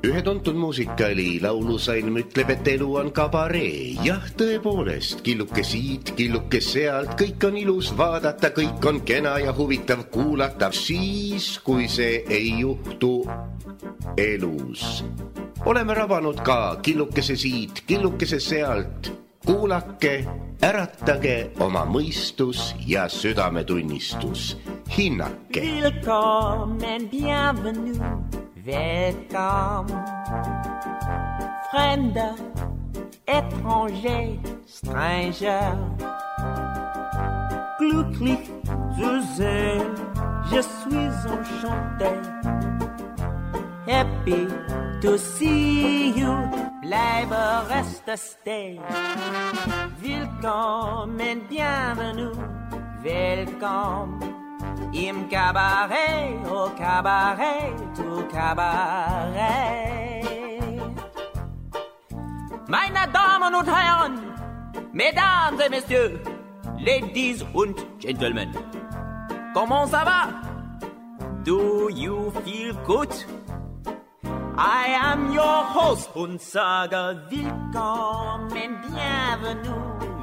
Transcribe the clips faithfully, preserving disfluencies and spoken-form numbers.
Ühe tuntud muusikali laulusalm ütleb, et elu on kabaree. Jah, tõepoolest, killuke siit, killuke sealt, kõik on ilus vaadata, kõik on kena ja huvitav kuulata, siis, kui see ei juhtu elus. Oleme rabanud ka killukese siit, killukese sealt. Kuulake, äratage oma mõistus ja südametunnistus. Hinnake. Willkommen, bienvenue, welcome. Fremder, étranger, stranger. Glücklich zu sehen, je suis enchanté. Happy to see you, bleibe reste stay. Willkommen, bienvenue, welcome. Im Cabaret, au Cabaret, au Cabaret. Meine Damen und Herren, Mesdames et Messieurs, Ladies und Gentlemen, comment ça va? Do you feel good? I am your host und sage willkommen, bienvenue,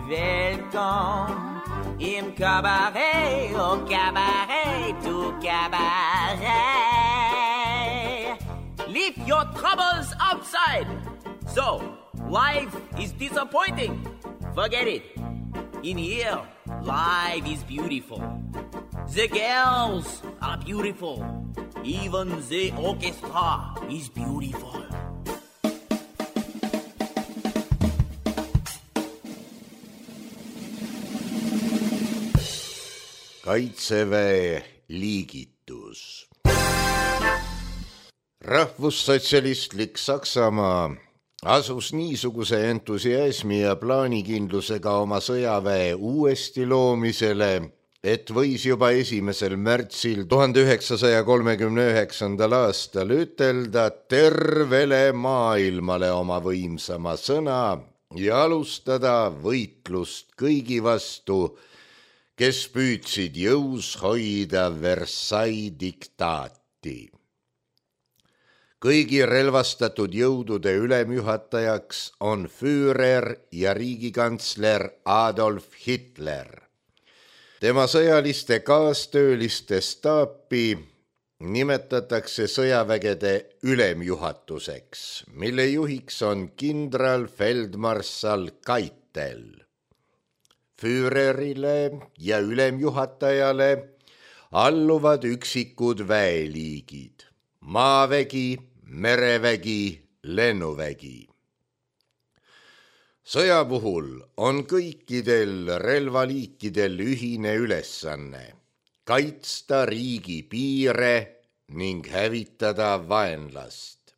welcome. Im Cabaret, au Cabaret, au Cabaret. Leave your troubles outside. So, life is disappointing. Forget it. In here, life is beautiful. The girls are beautiful. Even the orchestra is beautiful. Kaitseväe liigitus. Rahvussotsialistlik Saksamaa asus niisuguse entusiasmi ja plaanikindlusega oma sõjaväe uuesti loomisele, et võis juba esimesel märtsil tuhande üheksasaja kolmekümne üheksandal aastal ütelda tervele maailmale oma võimsama sõna ja alustada võitlust kõigi vastu, kes püüdsid jõus hoida Versailles diktaati. Kõigi relvastatud jõudude ülemjuhatajaks on Führer ja riigikantsler Adolf Hitler. Tema sõjaliste kaastööliste staapi nimetatakse sõjavägede ülemjuhatuseks, mille juhiks on kindral feldmarssal Keitel. Führerile ja ülemjuhatajale alluvad üksikud väeliigid, maavägi, merevägi, lennuvägi. Sõja puhul on kõikidel relvaliikidel ühine ülesanne kaitsta riigi piire ning hävitada vaenlast.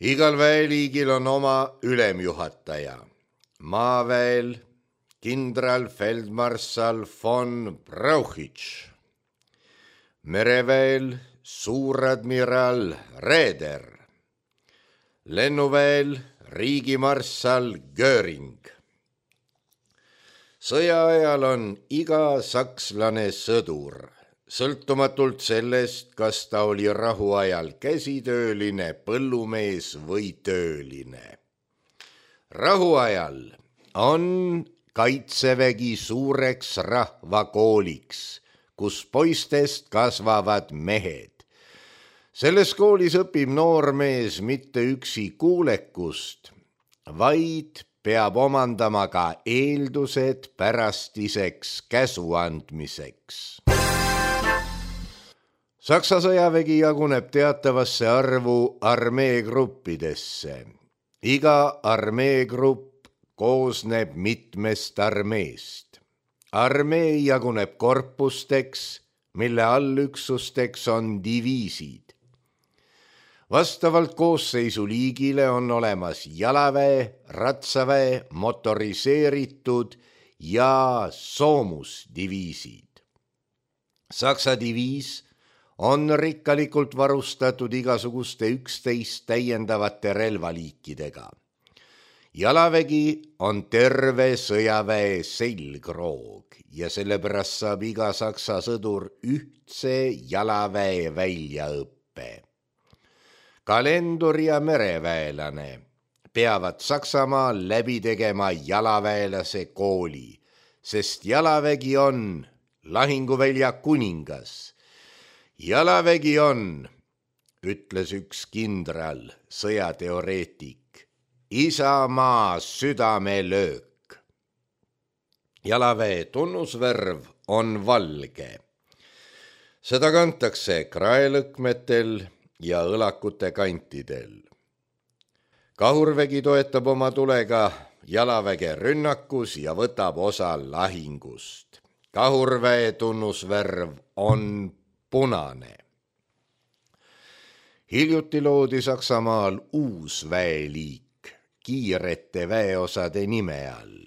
Igal väeliigil on oma ülemjuhataja, maaväel kindral feldmarssal von Brauchitsch, mereväel suuradmiral Raeder, lennuväel riigimarssal Göring. Sõja ajal on iga sakslane sõdur, sõltumatult sellest, kas ta oli rahuajal käsitööline, põllumees või tööline. Rahuajal on kaitsevägi suureks rahvakooliks, kus poistest kasvavad mehed. Selles koolis õpib noormees mitte üksi kuulekust, vaid peab omandama ka eeldused pärastiseks käsu andmiseks. Saksa sõjavägi jaguneb teatavasse arvu armeegruppidesse. Iga armeegrupp koosneb mitmest armeest. Armee jaguneb korpusteks, mille allüksusteks on diviisid. Vastavalt koosseisu liigile on olemas jalaväe, ratsaväe, motoriseeritud ja soomusdiviisid. Saksa diviis on rikkalikult varustatud igasuguste üksteist täiendavate relvaliikidega. Jalavägi on terve sõjaväe selgroog ja sellepärast saab iga saksa sõdur ühtse jalaväe väljaõppe. õppe. Kalendur ja mereväelane peavad Saksamaal läbi tegema jalaväelase kooli, sest jalavägi on lahinguvälja kuningas. Jalavägi on, ütles üks kindral, sõjateoreetik, isamaa südamelöök. Jalaväe tunnusvärv on valge. Seda kantakse kraelõkmetel ja õlakute kantidel. Kahurvägi toetab oma tulega jalaväge rünnakus ja võtab osa lahingust. Kahurväe tunnusvärv on punane. Hiljuti loodi Saksamaal uus väeliik kiirete väeosade nime all.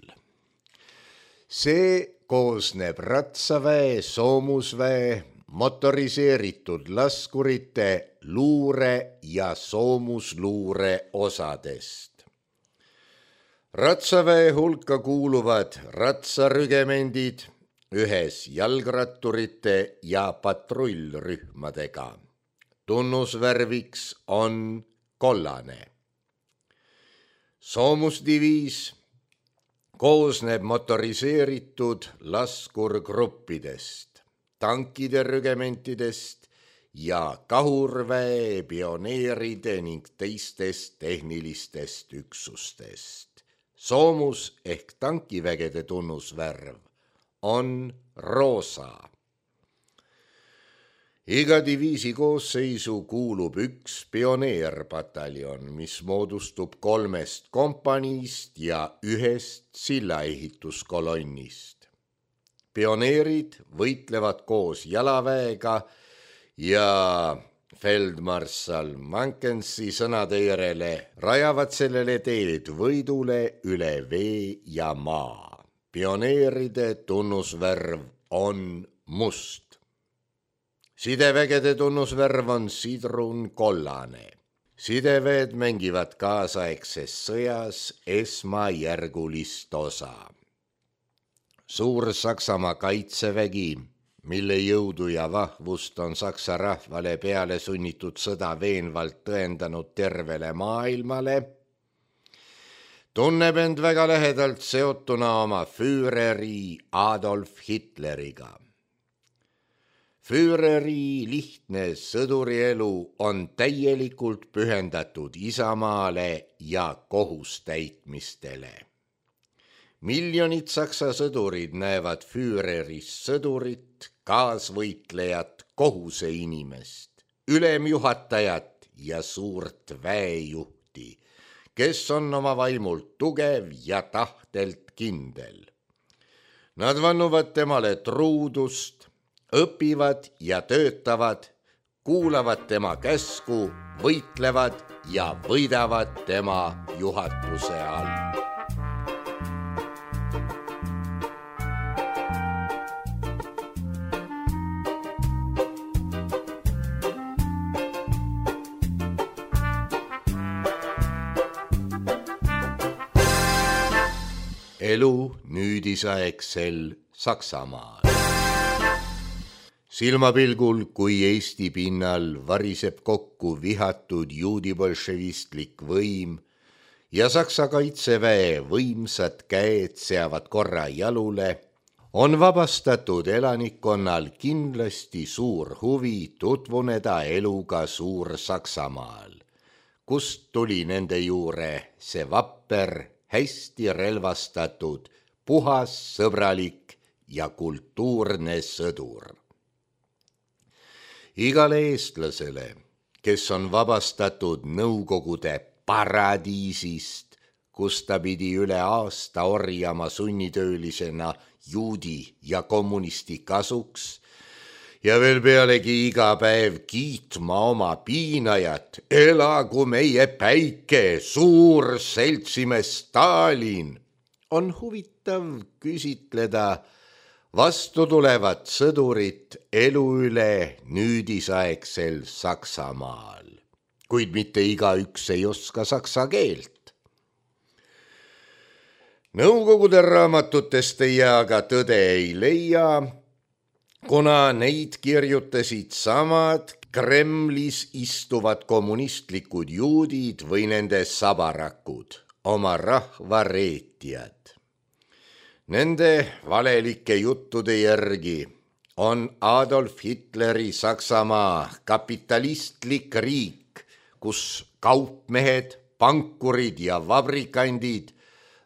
See koosneb ratsaväe, soomusväe, motoriseeritud laskurite, luure ja soomusluure osadest. Ratsaväe hulka kuuluvad ratsarügemendid ühes jalgratturite ja patrullrühmadega. Tunnusvärviks on kollane. Soomusdiviis koosneb motoriseeritud laskurgruppidest, tankide rügementidest ja kahurväe, pioneeride ning teistest tehnilistest üksustest. Soomus ehk tankivägede tunnusvärv on roosa. Iga diviisi koosseisu kuulub üks pioneerpataljon, mis moodustub kolmest kompaniist ja ühest sillaehituskolonnist. Pioneerid võitlevad koos jalaväega ja feldmarssal Mankensi sõnade järele rajavad sellele teed võidule üle vee ja maa. Pioneeride tunnusvärv on must. Sidevägede tunnusvärv on sidrun kollane. Sideväed mängivad kaasaegses sõjas esmajärgulist osa. Suur Saksamaa kaitsevägi, mille jõudu ja vahvust on Saksa rahvale peale sunnitud sõda veenvalt tõendanud tervele maailmale, tunneb end väga lähedalt seotuna oma Führeri Adolf Hitleriga. Führeri lihtne sõdurielu on täielikult pühendatud isamaale ja kohustäitmistele. Miljonid Saksa sõdurid näevad Führeris sõdurit, kaasvõitlejat, kohuseinimest, ülemjuhatajat ja suurt väejuhti, kes on oma vaimult tugev ja tahtelt kindel. Nad vannuvad temale truudust, õpivad ja töötavad, kuulavad tema käsku, võitlevad ja võidavad tema juhatuse all. Elu nüüdisaegsel Saksamaal. Silmapilgul, kui Eesti pinnal variseb kokku vihatud juudibolševistlik võim ja Saksa kaitseväe võimsad käed seavad korra jalule, on vabastatud elanikkonnal kindlasti suur huvi tutvuneda eluga Suur-Saksamaal, kust tuli nende juure see vapper, hästi relvastatud, puhas, sõbralik ja kultuurne sõdur. Igale eestlasele, kes on vabastatud Nõukogude paradiisist, kus ta pidi üle aasta orjama sunnitöölisena juudi ja kommunisti kasuks ja veel pealegi iga päev kiitma oma piinajat, elagu meie päike, suur seltsimees Stalin, on huvitav küsitleda vastutulevat sõdurit elu üle nüüdisaegsel Saksamaal, kuid mitte igaüks ei oska saksa keelt. Nõukogude raamatutest ei aga tõde ei leia, kuna neid kirjutasid samad Kremlis istuvad kommunistlikud juudid või nende sabarakud, oma rahva reetijad. Nende valelike juttude järgi on Adolf Hitleri Saksamaa kapitalistlik riik, kus kaupmehed, pankurid ja vabrikandid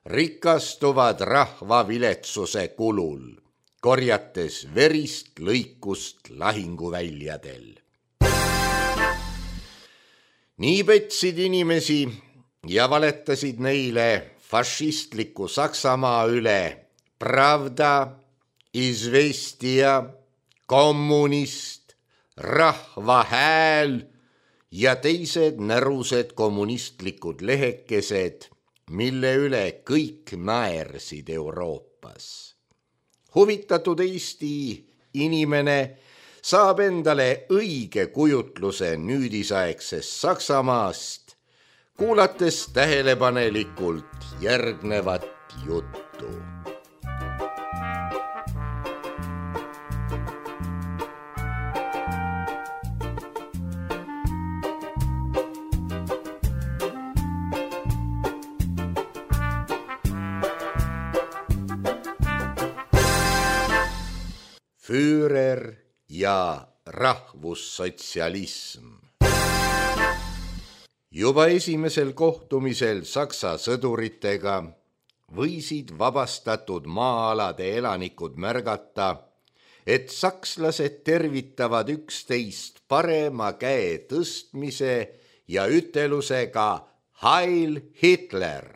rikastuvad rahva viletsuse kulul, korjates verist lõikust lahinguväljadel. Nii petsid inimesi ja valetasid neile fašistliku Saksamaa üle Pravda, Izvestia, Kommunist, Rahva Hääl ja teised närused kommunistlikud lehekesed, mille üle kõik naersid Euroopas. Huvitatud Eesti inimene saab endale õige kujutluse nüüdisaegsest Saksamaast, kuulates tähelepanelikult järgnevat juttu. Führer ja rahvussotsialism. Juba esimesel kohtumisel Saksa sõduritega võisid vabastatud maa-alade elanikud märgata, et sakslased tervitavad üksteist parema käe tõstmise ja ütelusega Heil Hitler,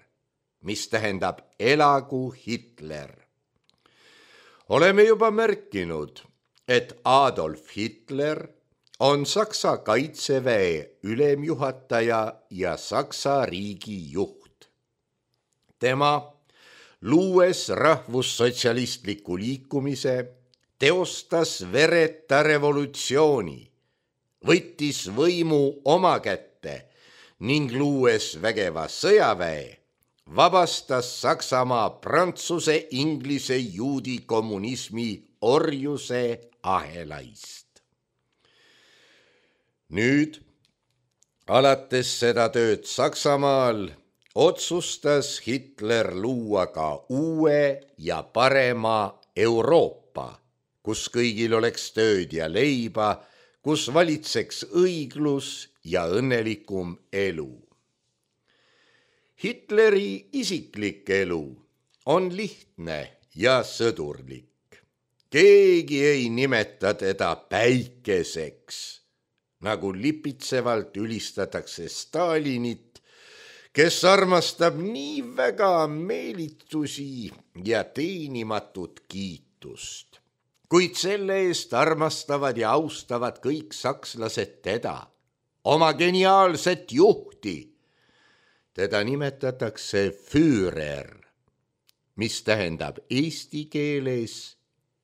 mis tähendab elagu Hitler. Oleme juba märkinud, et Adolf Hitler on Saksa kaitseväe ülemjuhataja ja Saksa riigi juht. Tema, luues rahvussotsialistliku liikumise, teostas vereta revolutsiooni, võttis võimu oma kätte ning luues vägeva sõjaväe, vabastas Saksamaa prantsuse, inglise, juudi kommunismi orjuse ahelaist. Nüüd, alates seda tööd Saksamaal, otsustas Hitler luua ka uue ja parema Euroopa, kus kõigil oleks tööd ja leiba, kus valitseks õiglus ja õnnelikum elu. Hitleri isiklik elu on lihtne ja sõdurlik. Keegi ei nimeta teda päikeseks, nagu lipitsevalt ülistatakse Stalinit, kes armastab nii väga meelitusi ja teenimatut kiitust. Kuid selle eest armastavad ja austavad kõik sakslased teda, oma geniaalset juhti. Teda nimetatakse Führer, mis tähendab eesti keeles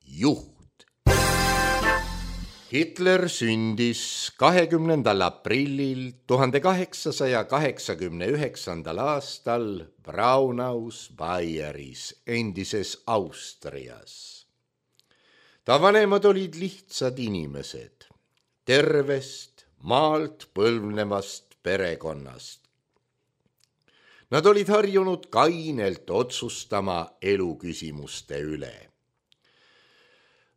juht. Hitler sündis kahekümnendal aprillil tuhande kaheksasaja kaheksakümne üheksandal aastal Braunaus Baieris, endises Austrias. Ta vanemad olid lihtsad inimesed, tervest, maalt põlvnevast perekonnast. Nad olid harjunud kainelt otsustama eluküsimuste üle.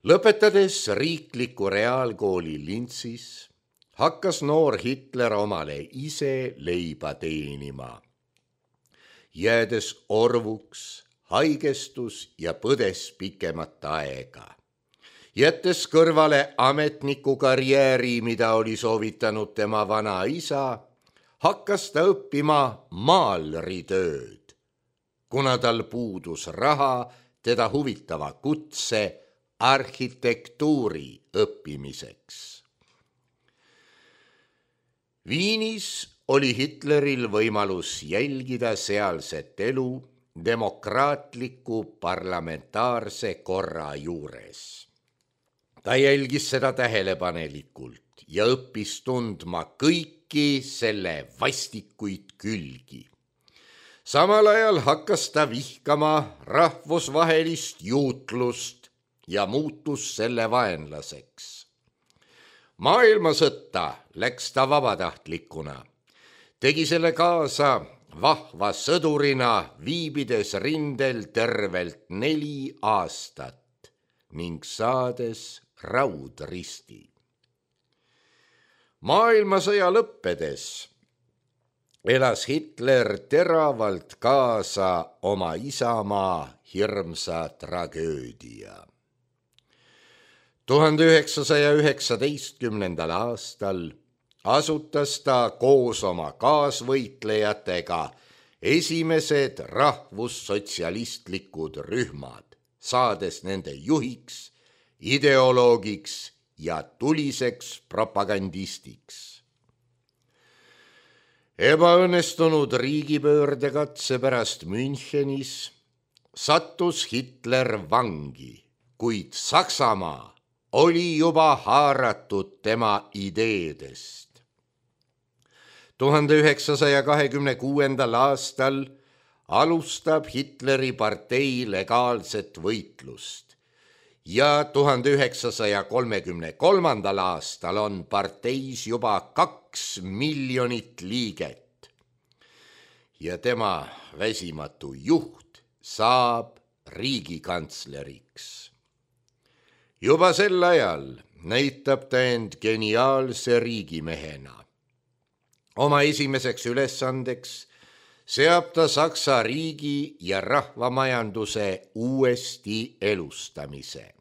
Lõpetades riikliku reaalkooli Linzis, hakkas noor Hitler omale ise leiba teenima. Jäädes orvuks, haigestus ja põdes pikemat aega. Jättes kõrvale ametniku karjääri, mida oli soovitanud tema vana isa, hakkas ta õppima maalritööd, kuna tal puudus raha teda huvitava kutse arhitektuuri õppimiseks. Viinis oli Hitleril võimalus jälgida sealset elu demokraatliku parlamentaarse korra juures. Ta jälgis seda tähelepanelikult ja õppis tundma kõiki selle vastikuid külgi. Samal ajal hakkas ta vihkama rahvusvahelist juutlust ja muutus selle vaenlaseks. Maailmasõtta läks ta vabatahtlikuna. Tegi selle kaasa vahva sõdurina, viibides rindel tervelt neli aastat ning saades raudristi. Maailmasõja lõppedes elas Hitler teravalt kaasa oma isamaa hirmsa tragöödia. tuhande üheksasaja üheksateistkümnendal aastal asutas ta koos oma kaasvõitlejatega esimesed rahvussotsialistlikud rühmad, saades nende juhiks, ideoloogiks ja tuliseks propagandistiks. Ebaõnnestunud riigipöördekatse pärast Münchenis sattus Hitler vangi, kuid Saksamaa oli juba haaratud tema ideedest. tuhande üheksasaja kahekümne kuuendal aastal alustab Hitleri partei legaalset võitlust ja tuhande üheksasaja kolmekümne kolmandal aastal on parteis juba kaks miljonit liiget ja tema väsimatu juht saab riigikantsleriks. Juba sel ajal näitab ta end geniaalse riigimehena. Oma esimeseks ülesandeks seab ta Saksa riigi ja rahvamajanduse uuesti elustamise.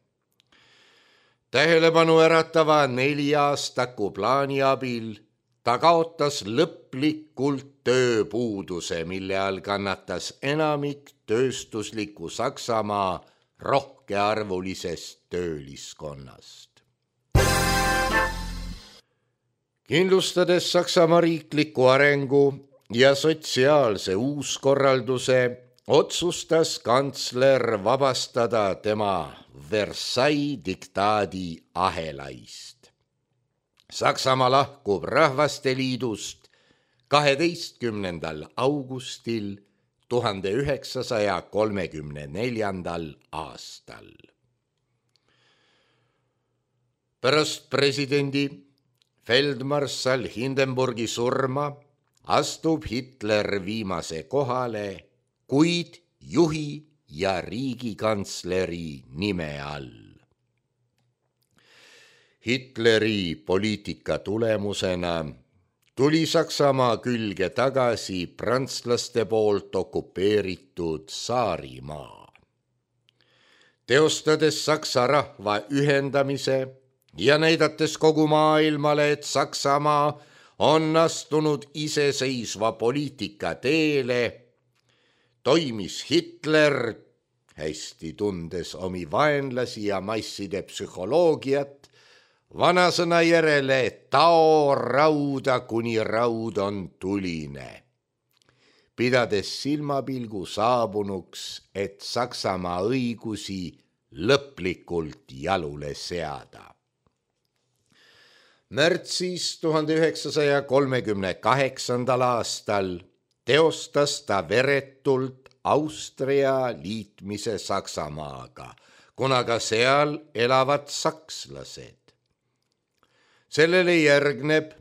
Tähelepanu äratava neljaastaku plaani abil ta kaotas lõplikult tööpuuduse, mille all kannatas enamik tööstusliku Saksamaa rohkearvulisest tööliskonnast. Kindlustades Saksamaa riikliku arengu ja sotsiaalse uuskorralduse, otsustas kantsler vabastada tema Versailles diktaadi ahelaist. Saksamaa lahkub Rahvasteliidust kaheteistkümnendal augustil tuhande üheksasaja kolmekümne neljandal aastal. Pärast presidendi feldmarssal Hindenburgi surma astub Hitler viimase kohale, kuid juhi ja riigikantsleri nime all. Hitleri poliitika tulemusena tuli Saksamaa külge tagasi prantslaste poolt okupeeritud Saarimaa. Teostades Saksa rahva ühendamise ja näidates kogu maailmale, et Saksamaa on astunud iseseisva poliitika teele, toimis Hitler, hästi tundes omi vaenlasi ja masside psühholoogiat, vanasõna järele tao rauda, kuni raud on tuline, pidades silmapilgu saabunuks, et Saksamaa õigusi lõplikult jalule seada. Märtsis tuhande üheksasaja kolmekümne kaheksandal aastal teostas ta veretult Austria liitmise Saksamaaga, kuna ka seal elavad sakslased. Sellele järgneb,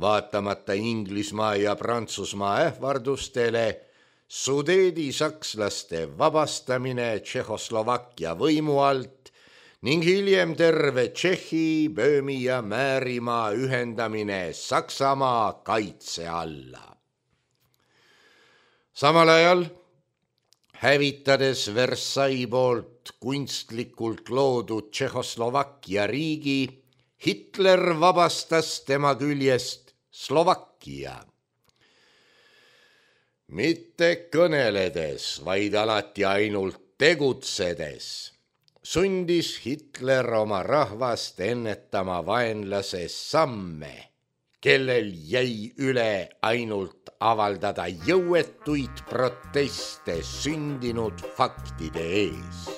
vaatamata Inglismaa ja Prantsusmaa ähvardustele, Sudeedi sakslaste vabastamine Tšehhoslovakkia võimu alt ning hiljem terve Tšehhi, Böömi ja Määrimaa ühendamine Saksamaa kaitse alla. Samal ajal, hävitades Versailles poolt kunstlikult loodud Tšehhoslovakkia riigi, Hitler vabastas tema küljest Slovakkia. Mitte kõneledes, vaid alati ainult tegutsedes, sundis Hitler oma rahvast ennetama vaenlase samme, kellel jäi üle ainult avaldada jõuetuid proteste sündinud faktide ees.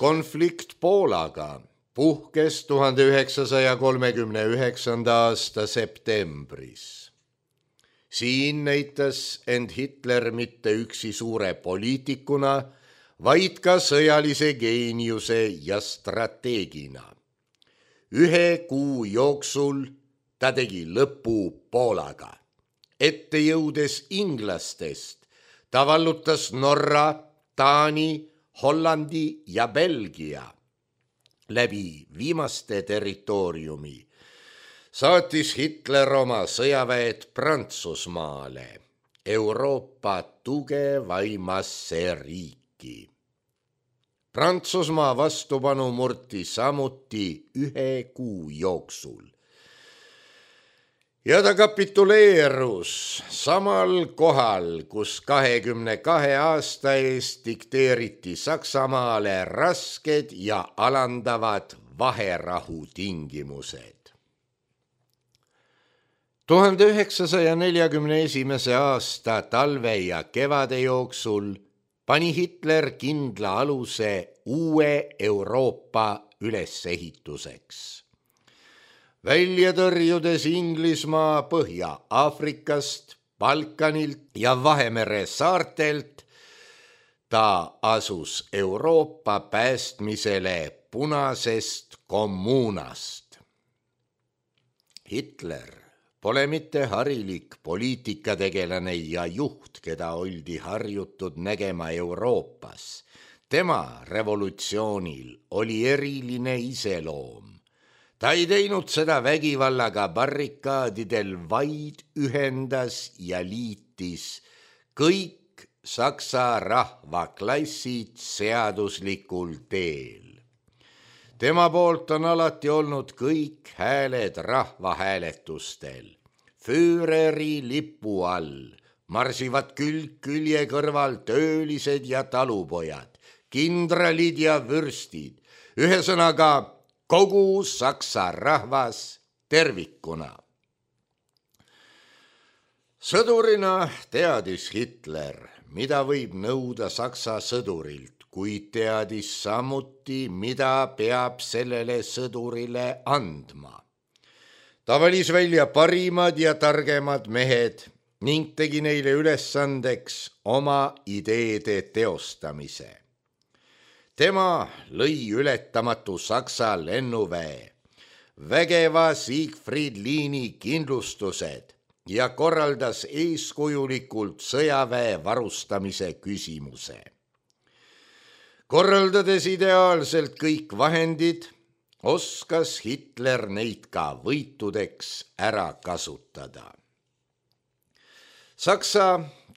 Konflikt Poolaga puhkes tuhande üheksasaja kolmekümne üheksanda aasta septembris. Siin näitas end Hitler mitte üksi suure poliitikuna, vaid ka sõjalise geeniuse ja strateegina. Ühe kuu jooksul ta tegi lõpu Poolaga. Ette jõudes inglastest, ta vallutas Norra, Taani, Hollandi ja Belgia. Läbi viimaste territooriumi saatis Hitler oma sõjaväed Prantsusmaale, Euroopa tugevaimasse riiki. Prantsusmaa vastupanu murti samuti ühe kuu jooksul. Ja ta kapituleerus samal kohal, kus kahekümne kahe aasta eest dikteeriti Saksamaale rasked ja alandavad vaherahu tingimused. tuhande üheksasaja neljakümne esimese aasta talve ja kevade jooksul pani Hitler kindla aluse uue Euroopa ülesehituseks. Välja tõrjudes Inglismaa Põhja-Aafrikast, Balkanilt ja Vahemere saartelt, ta asus Euroopa päästmisele punasest kommuunast. Hitler pole mitte harilik poliitikategelane ja juht, keda oldi harjutud nägema Euroopas. Tema revolutsioonil oli eriline iseloom. Ta ei teinud seda vägivallaga barrikaadidel, vaid ühendas ja liitis kõik saksa rahvaklassid seaduslikul teel. Tema poolt on alati olnud kõik hääled rahvahääletustel. Füüreri lipu all marsivad külg külje kõrval töölised ja talupojad, kindralid ja vürstid, ühesõnaga kogu saksa rahvas tervikuna. Sõdurina teadis Hitler, mida võib nõuda saksa sõdurilt, kuid teadis samuti, mida peab sellele sõdurile andma. Ta valis välja parimad ja targemad mehed ning tegi neile ülesandeks oma ideede teostamise. Tema lõi ületamatu saksa lennuväe, vägeva Siegfried liini kindlustused ja korraldas eeskujulikult sõjaväe varustamise küsimuse. Korraldades ideaalselt kõik vahendid, oskas Hitler neid ka võitudeks ära kasutada. Saksa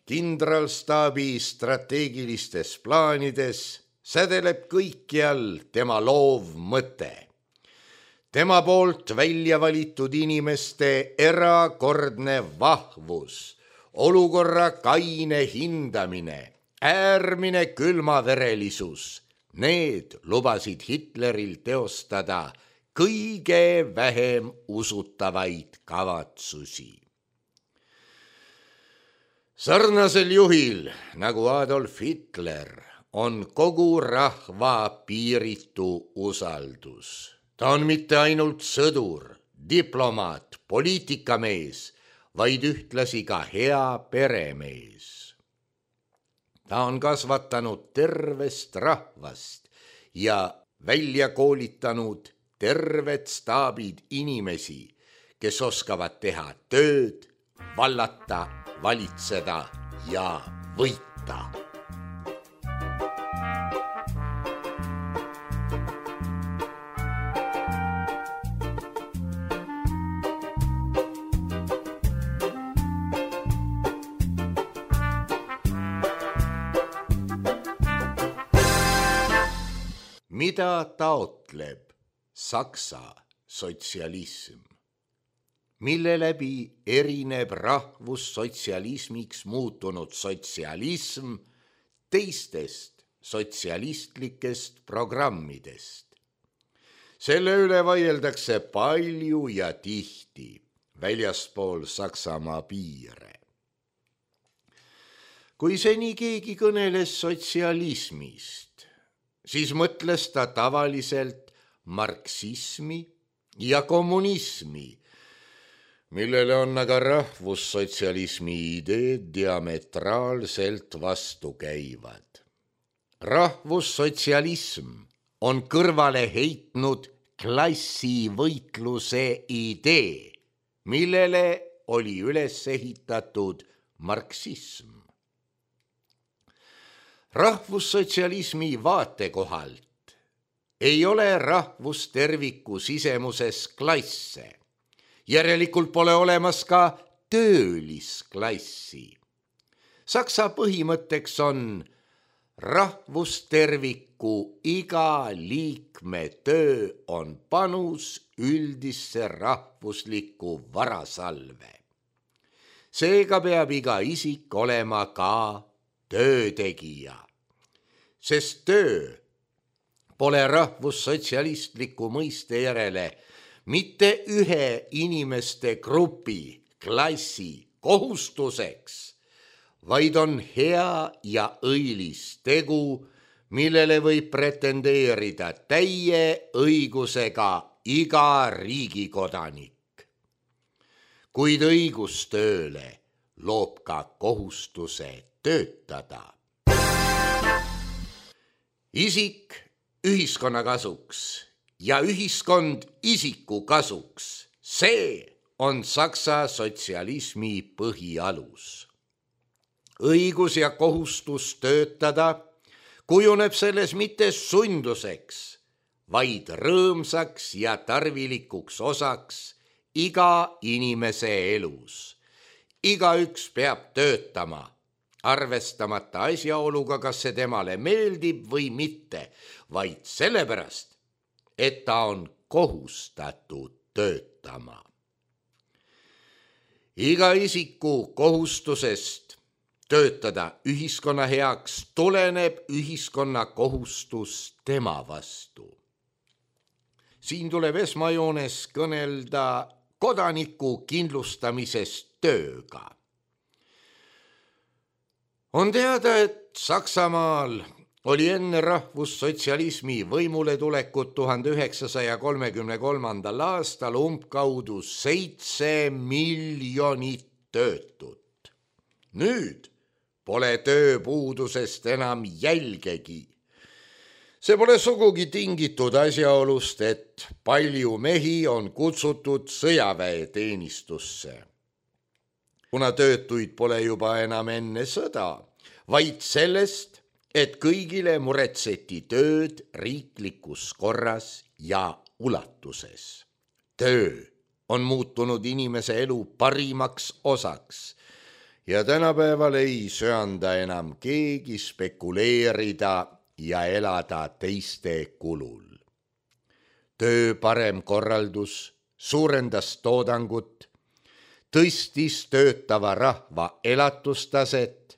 kindralstaabi strateegilistes plaanides sädeleb kõikjal tema loov mõte. Tema poolt välja valitud inimeste erakordne vahvus, olukorra kaine hindamine, äärmine külmaverelisus, need lubasid Hitleril teostada kõige vähem usutavaid kavatsusi. Sarnasel juhil nagu Adolf Hitler on kogu rahva piiritu usaldus. Ta on mitte ainult sõdur, diplomaat, poliitikamees, vaid ühtlasi ka hea peremees. Ta on kasvatanud tervest rahvast ja välja koolitanud terved staabid inimesi, kes oskavad teha tööd, vallata, valitseda ja võita. Mida taotleb Saksa sotsialism? Mille läbi erineb rahvussotsialismiks muutunud sotsialism teistest sotsialistlikest programmidest? Selle üle vaieldakse palju ja tihti väljaspool Saksamaa piire. Kui seni keegi kõneles sotsialismist, siis mõtles ta tavaliselt marksismi ja kommunismi, millele on aga rahvussotsialismi ideed diametraalselt vastu käivad. Rahvussotsialism on kõrvale heitnud klassivõitluse idee, millele oli üles ehitatud marksism. Rahvussotsialismi vaatekohalt ei ole rahvusterviku sisemuses klasse. Järelikult pole olemas ka töölisklassi. Saksa põhimõtteks on rahvusterviku iga liikme töö on panus üldisse rahvuslikku varasalve. Seega peab iga isik olema ka töötegija, sest töö pole rahvussotsialistliku mõiste järele mitte ühe inimeste grupi, klassi kohustuseks, vaid on hea ja õilis tegu, millele võib pretendeerida täie õigusega iga riigikodanik. Kuid õigus tööle loob ka kohustuse töötada. Isik ühiskonna kasuks ja ühiskond isiku kasuks, see on Saksa sotsialismi põhialus. Õigus ja kohustus töötada kujuneb selles mitte sunduseks, vaid rõõmsaks ja tarvilikuks osaks iga inimese elus. Igaüks peab töötama, arvestamata asjaoluga, kas see temale meeldib või mitte, vaid sellepärast, et ta on kohustatud töötama. Iga isiku kohustusest töötada ühiskonna heaks tuleneb ühiskonna kohustus tema vastu. Siin tuleb esmajoones kõnelda kodaniku kindlustamisest tööga. On teada, et Saksamaal oli enne rahvussotsialismi võimule tulekut tuhande üheksasaja kolmekümne kolmandal aastal umbkaudu seitse miljonit töötut. Nüüd pole tööpuudusest enam jälgegi. See pole sugugi tingitud asjaolust, et palju mehi on kutsutud sõjaväeteenistusse. Kuna töötuid pole juba enam enne sõda, vaid sellest, et kõigile muretseti tööd riiklikus korras ja ulatuses. Töö on muutunud inimese elu parimaks osaks ja tänapäeval ei söanda enam keegi spekuleerida ja elada teiste kulul. Töö parem korraldus suurendas toodangut, tõstis töötava rahva elatustaset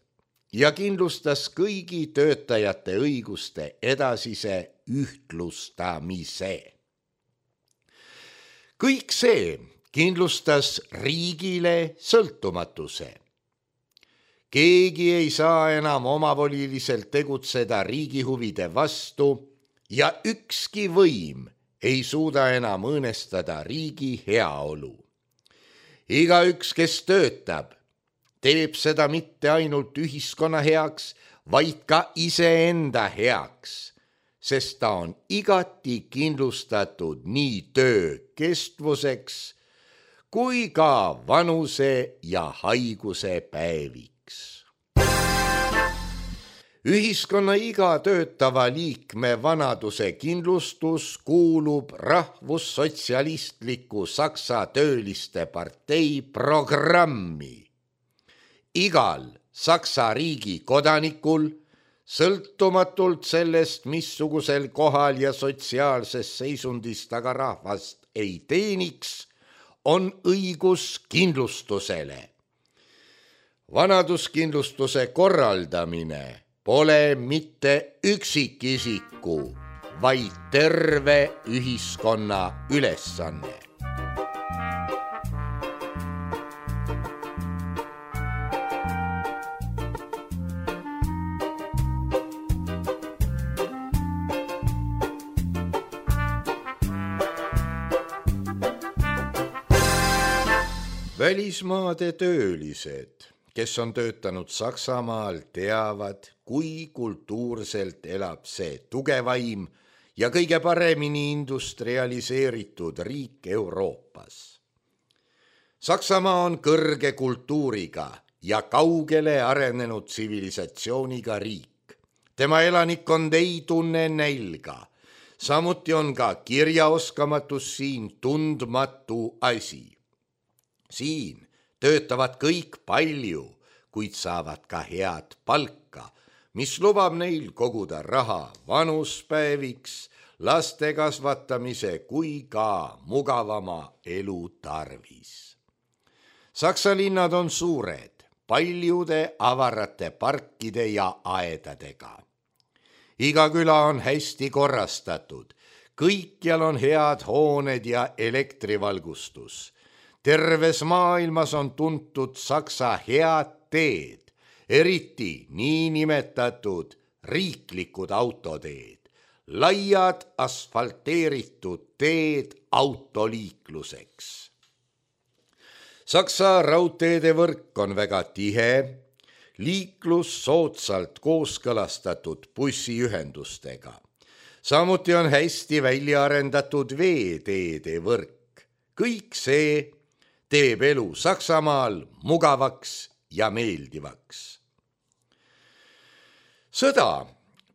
ja kindlustas kõigi töötajate õiguste edasise ühtlustamise. Kõik see kindlustas riigile sõltumatuse. Keegi ei saa enam omavoliliselt tegutseda riigi huvide vastu ja ükski võim ei suuda enam õõnestada riigi heaolu. Igaüks, kes töötab, teeb seda mitte ainult ühiskonna heaks, vaid ka iseenda heaks, sest ta on igati kindlustatud nii töö kestvuseks kui ka vanuse ja haiguse päeviks. Ühiskonna iga töötava liikme vanaduse kindlustus kuulub rahvussotsialistliku Saksa tööliste partei programmi. Igal Saksa riigi kodanikul, sõltumatult sellest, missugusel kohal ja sotsiaalses seisundis ta ka rahvast ei teeniks, on õigus kindlustusele. Vanaduskindlustuse korraldamine pole mitte üksikisiku, vaid terve ühiskonna ülesanne. Välismaade töölised, kes on töötanud Saksamaal, teavad, kui kultuurselt elab see tugevaim ja kõige paremini industrialiseeritud riik Euroopas. Saksamaa on kõrge kultuuriga ja kaugele arenenud tsivilisatsiooniga riik. Tema elanikkond ei tunne nälga. Samuti on ka kirjaoskamatus siin tundmatu asi. Siin töötavad kõik palju, kuid saavad ka head palka, mis lubab neil koguda raha vanuspäeviks, laste kasvatamise kui ka mugavama elu tarvis. Saksa linnad on suured, paljude avarate parkide ja aedadega. Iga küla on hästi korrastatud, kõikjal on head hooned ja elektrivalgustus. Terves maailmas on tuntud Saksa head teed, eriti niinimetatud riiklikud autoteed, laiad asfalteeritud teed autoliikluseks. Saksa raudteede võrk on väga tihe, liiklus soodsalt kooskõlastatud bussiühendustega. Samuti on hästi välja arendatud veeteede võrk. Kõik see teeb elu Saksamaal mugavaks ja meeldivaks. Sõda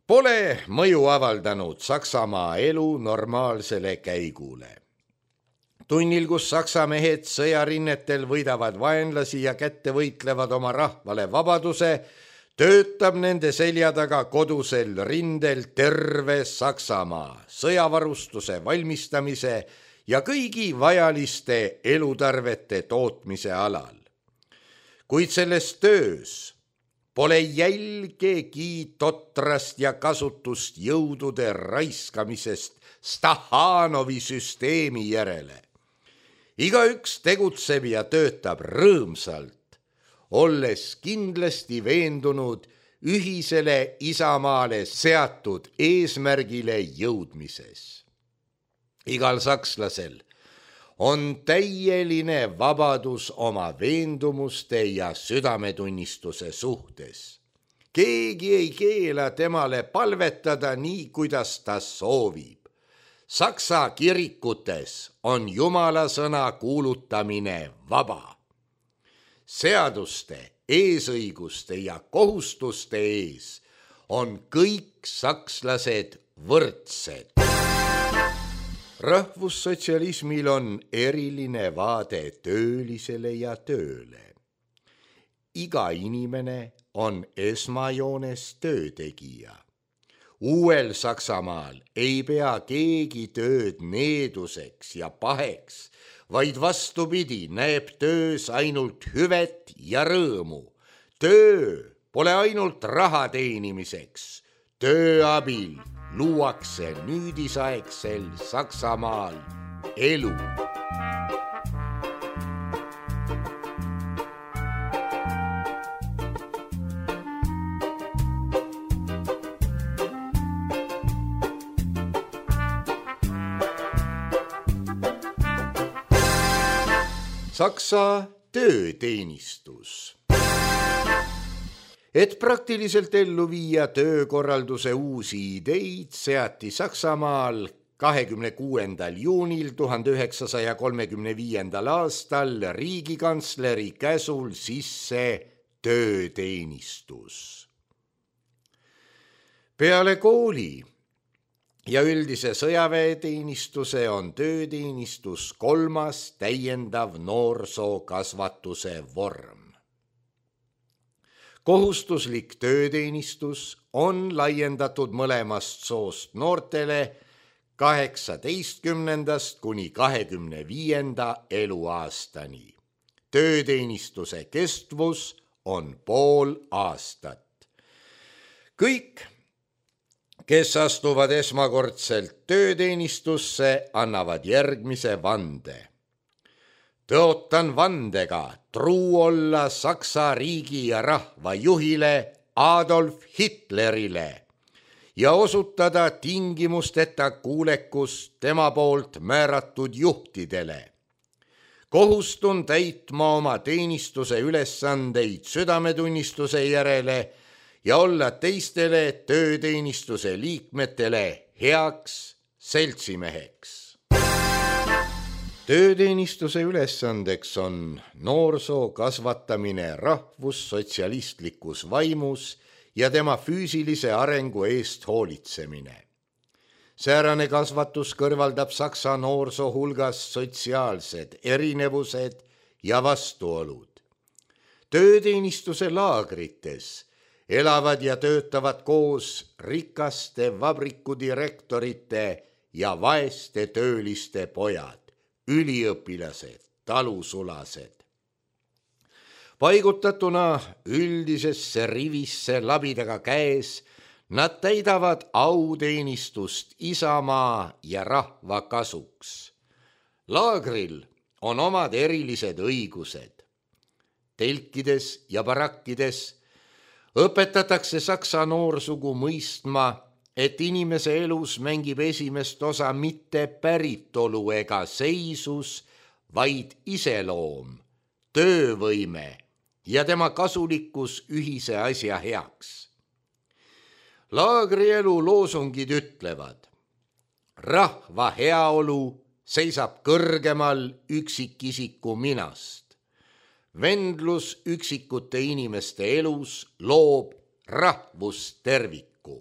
pole mõju avaldanud Saksamaa elu normaalsele käigule. Tunnil, kus saksa mehed sõjarinnetel võidavad vaenlasi ja kätte võitlevad oma rahvale vabaduse, töötab nende selja taga kodusel rindel terve Saksamaa sõjavarustuse valmistamise ja kõigi vajaliste elutarvete tootmise alal. Kuid selles töös pole jälgegi totrast ja kasutust jõudude raiskamisest Stahanovi süsteemi järele. Igaüks tegutseb ja töötab rõõmsalt, olles kindlasti veendunud ühisele isamaale seatud eesmärgile jõudmises. Igal sakslasel on täieline vabadus oma veendumuste ja südametunnistuse suhtes. Keegi ei keela temale palvetada nii, kuidas ta soovib. Saksa kirikutes on Jumala sõna kuulutamine vaba. Seaduste, eesõiguste ja kohustuste ees on kõik sakslased võrdsed. Rahvussotsialismil on eriline vaade töölisele ja tööle. Iga inimene on esmajoones töötegija. Uuel Saksamaal ei pea keegi tööd needuseks ja paheks, vaid vastupidi näeb töös ainult hüvet ja rõõmu. Töö pole ainult raha teenimiseks. Töö abil luuakse nüüdisaegsel Saksamaal elu. Saksa tööteenistus. Et praktiliselt ellu viia töökorralduse uusi ideid, seati Saksamaal kahekümne kuuendal juunil tuhande üheksasaja kolmekümne viiendal aastal riigikantsleri käsul sisse tööteenistus. Peale kooli ja üldise sõjaväeteenistuse on tööteenistus kolmas täiendav noorsookasvatuse vorm. Kohustuslik tööteenistus on laiendatud mõlemast soost noortele kaheksateistkümnendast kuni kahekümne viienda eluaastani. Tööteenistuse kestvus on pool aastat. Kõik, kes astuvad esmakordselt tööteenistusse, annavad järgmise vande. Tõotan vandega truu olla Saksa riigi ja rahva juhile Adolf Hitlerile ja osutada tingimusteta kuulekust tema poolt määratud juhtidele. kohustun täitma oma teenistuse ülesandeid südametunnistuse järele ja olla teistele tööteenistuse liikmetele heaks seltsimeheks. Tööteenistuse ülesandeks on noorsoo kasvatamine rahvussotsialistlikus vaimus ja tema füüsilise arengu eest hoolitsemine. Säärane kasvatus kõrvaldab saksa noorsoo hulgas sotsiaalsed erinevused ja vastuolud. Tööteenistuse laagrites elavad ja töötavad koos rikaste vabrikudirektorite ja vaeste tööliste pojad, üliõpilased, talusulased. Paigutatuna üldisesse rivisse labidaga käes, nad täidavad auteenistust isamaa ja rahva kasuks. Laagril on omad erilised õigused. Telkides ja barakkides õpetatakse saksa noorsugu mõistma, et inimese elus mängib esimest osa mitte päritolu ega seisus, vaid iseloom, töövõime ja tema kasulikkus ühise asja heaks. Laagrielu loosungid ütlevad, rahva heaolu seisab kõrgemal üksikisiku minast. Vendlus üksikute inimeste elus loob rahvusterviku.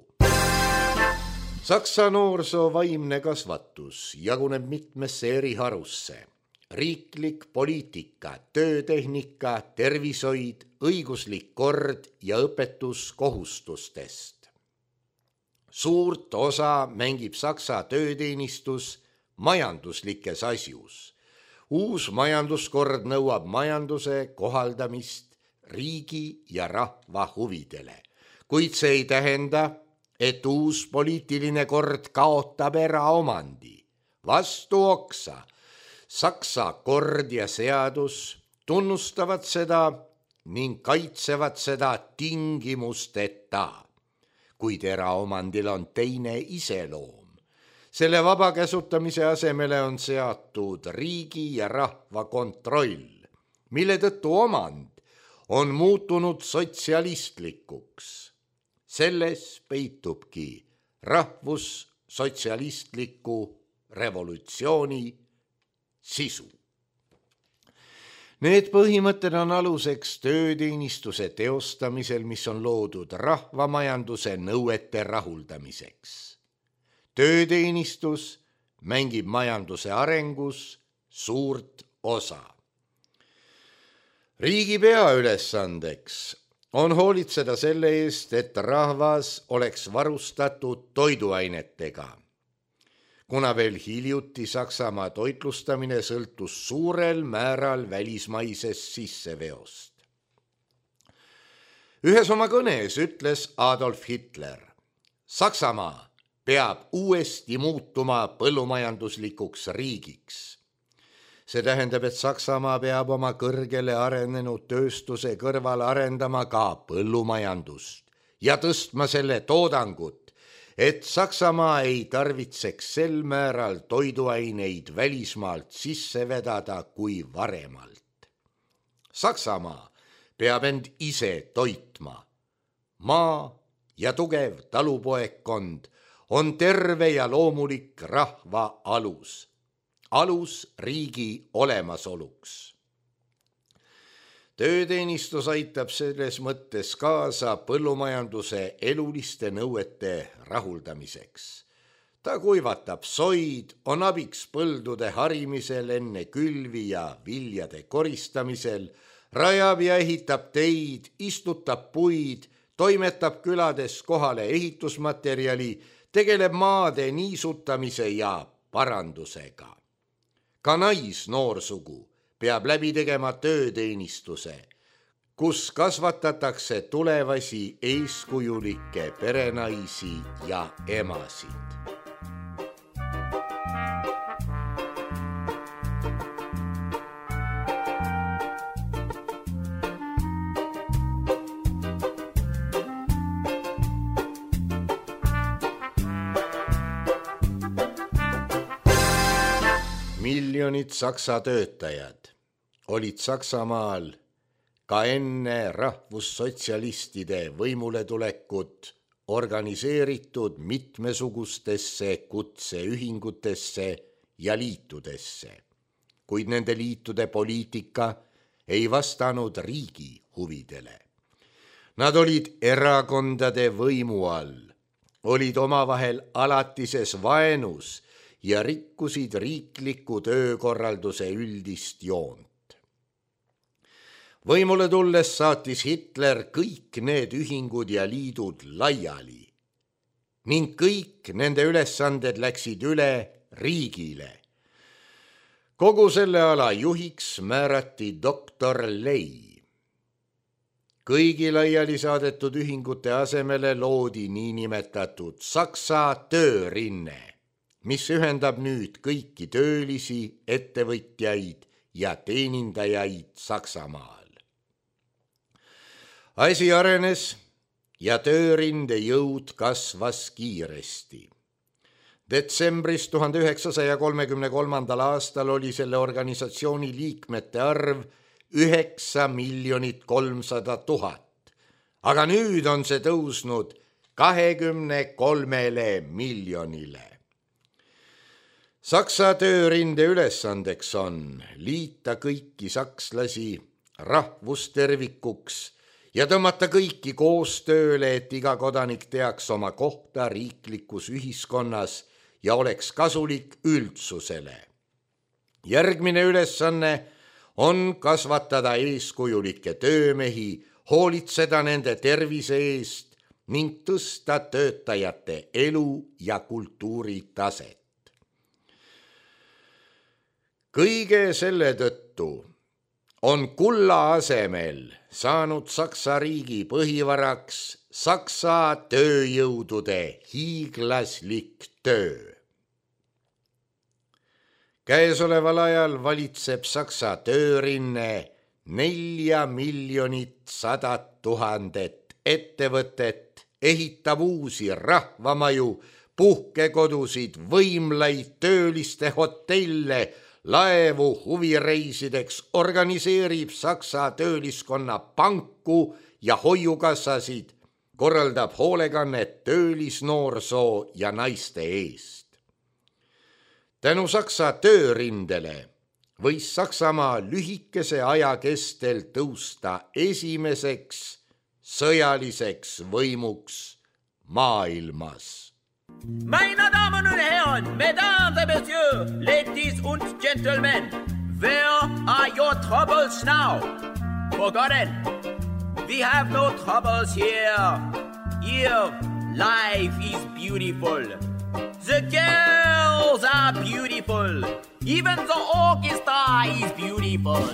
Saksa noorsoo vaimne kasvatus jaguneb mitmesse eri harusse. Riiklik poliitika, töötehnika, tervishoid, õiguslik kord ja õpetus kohustustest. Suurt osa mängib saksa tööteenistus majanduslikes asjus. Uus majanduskord nõuab majanduse kohaldamist riigi ja rahva huvidele, kuid see ei tähenda, et uus poliitiline kord kaotab eraomandi. Vastu oksa, saksa kord ja seadus tunnustavad seda ning kaitsevad seda tingimusteta, kuid eraomandil on teine iseloom. Selle vaba käsutamise asemele on seatud riigi ja rahva kontroll, mille tõttu omand on muutunud sotsialistlikuks. Selles peitubki rahvussotsialistliku revolutsiooni sisu. Need põhimõtted on aluseks tööteenistuse teostamisel, mis on loodud rahvamajanduse nõuete rahuldamiseks. Tööteenistus mängib majanduse arengus suurt osa. Riigi peaülesandeks on hoolitseda selle eest, et rahvas oleks varustatud toiduainetega. Kuna veel hiljuti Saksamaa toitlustamine sõltus suurel määral välismaisest sisseveost. Ühes oma kõnes ütles Adolf Hitler, Saksamaa peab uuesti muutuma põllumajanduslikuks riigiks. See tähendab, et Saksamaa peab oma kõrgele arenenud tööstuse kõrval arendama ka põllumajandust ja tõstma selle toodangut, et Saksamaa ei tarvitseks sel määral toiduaineid välismaalt sisse vedada kui varemalt. Saksamaa peab end ise toitma. Maa ja tugev talupoekkond on terve ja loomulik rahva alus, alus riigi olemasoluks. Tööteenistus aitab selles mõttes kaasa põllumajanduse eluliste nõuete rahuldamiseks. Ta kuivatab soid, on abiks põldude harimisel enne külvi ja viljade koristamisel, rajab ja ehitab teid, istutab puid, toimetab külades kohale ehitusmaterjali, tegeleb maade niisutamise ja parandusega. Ka naisnoorsugu peab läbi tegema tööteenistuse, kus kasvatatakse tulevasi eeskujulikke perenaisi ja emasid. Miljonid saksa töötajad olid Saksamaal ka enne rahvussotsialistide võimuletulekut organiseeritud mitmesugustesse kutseühingutesse ja liitudesse, kuid nende liitude poliitika ei vastanud riigi huvidele. Nad olid erakondade võimu all, olid omavahel alatises vaenus ja rikkusid riikliku töökorralduse üldist joont. Võimule tulles saatis Hitler kõik need ühingud ja liidud laiali ning kõik nende ülesanded läksid üle riigile. Kogu selle ala juhiks määrati doktor Ley. Kõigi laiali saadetud ühingute asemele loodi niinimetatud Saksa töörinne, mis ühendab nüüd kõiki töölisi, ettevõtjaid ja teenindajaid Saksamaal. Asi arenes ja töörinde jõud kasvas kiiresti. Detsembris tuhande üheksasaja kolmekümne kolmandal aastal oli selle organisatsiooni liikmete arv üheksa miljonit kolmsada tuhat, aga nüüd on see tõusnud kahekümne kolmele miljonile. Saksa töörinde ülesandeks on liita kõiki sakslasi rahvustervikuks ja tõmmata kõiki koostööle, et iga kodanik teaks oma kohta riiklikus ühiskonnas ja oleks kasulik üldsusele. Järgmine ülesanne on kasvatada eeskujulikke töömehi, hoolitseda nende tervise eest ning tõsta töötajate elu ja kultuuritaset. Kõige selle tõttu on kulla asemel saanud Saksa riigi põhivaraks Saksa tööjõudude hiiglaslik töö. Käesoleval ajal valitseb Saksa töörinne nelja miljonit sadat tuhandet ettevõtet, ehitab uusi rahvamaju, puhkekodusid, võimlaid, tööliste hotelle, laevu huvireisideks, organiseerib Saksa tööliskonna panku ja hoiukassasid, korraldab hoolekannet töölisnoorsoo ja naiste eest. Tänu Saksa töörindele võis Saksamaa lühikese aja kestel tõusta esimeseks sõjaliseks võimuks maailmas. Meine Damen und Herren, Mesdames et Messieurs, Ladies und Gentlemen, where are your troubles now? Forgotten, we have no troubles here. Here, life is beautiful. The girls are beautiful. Even the orchestra is beautiful.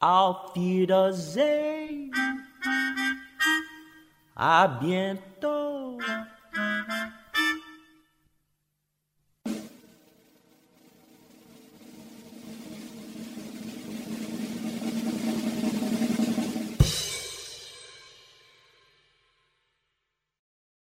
Auf Wiedersehen. À bientôt.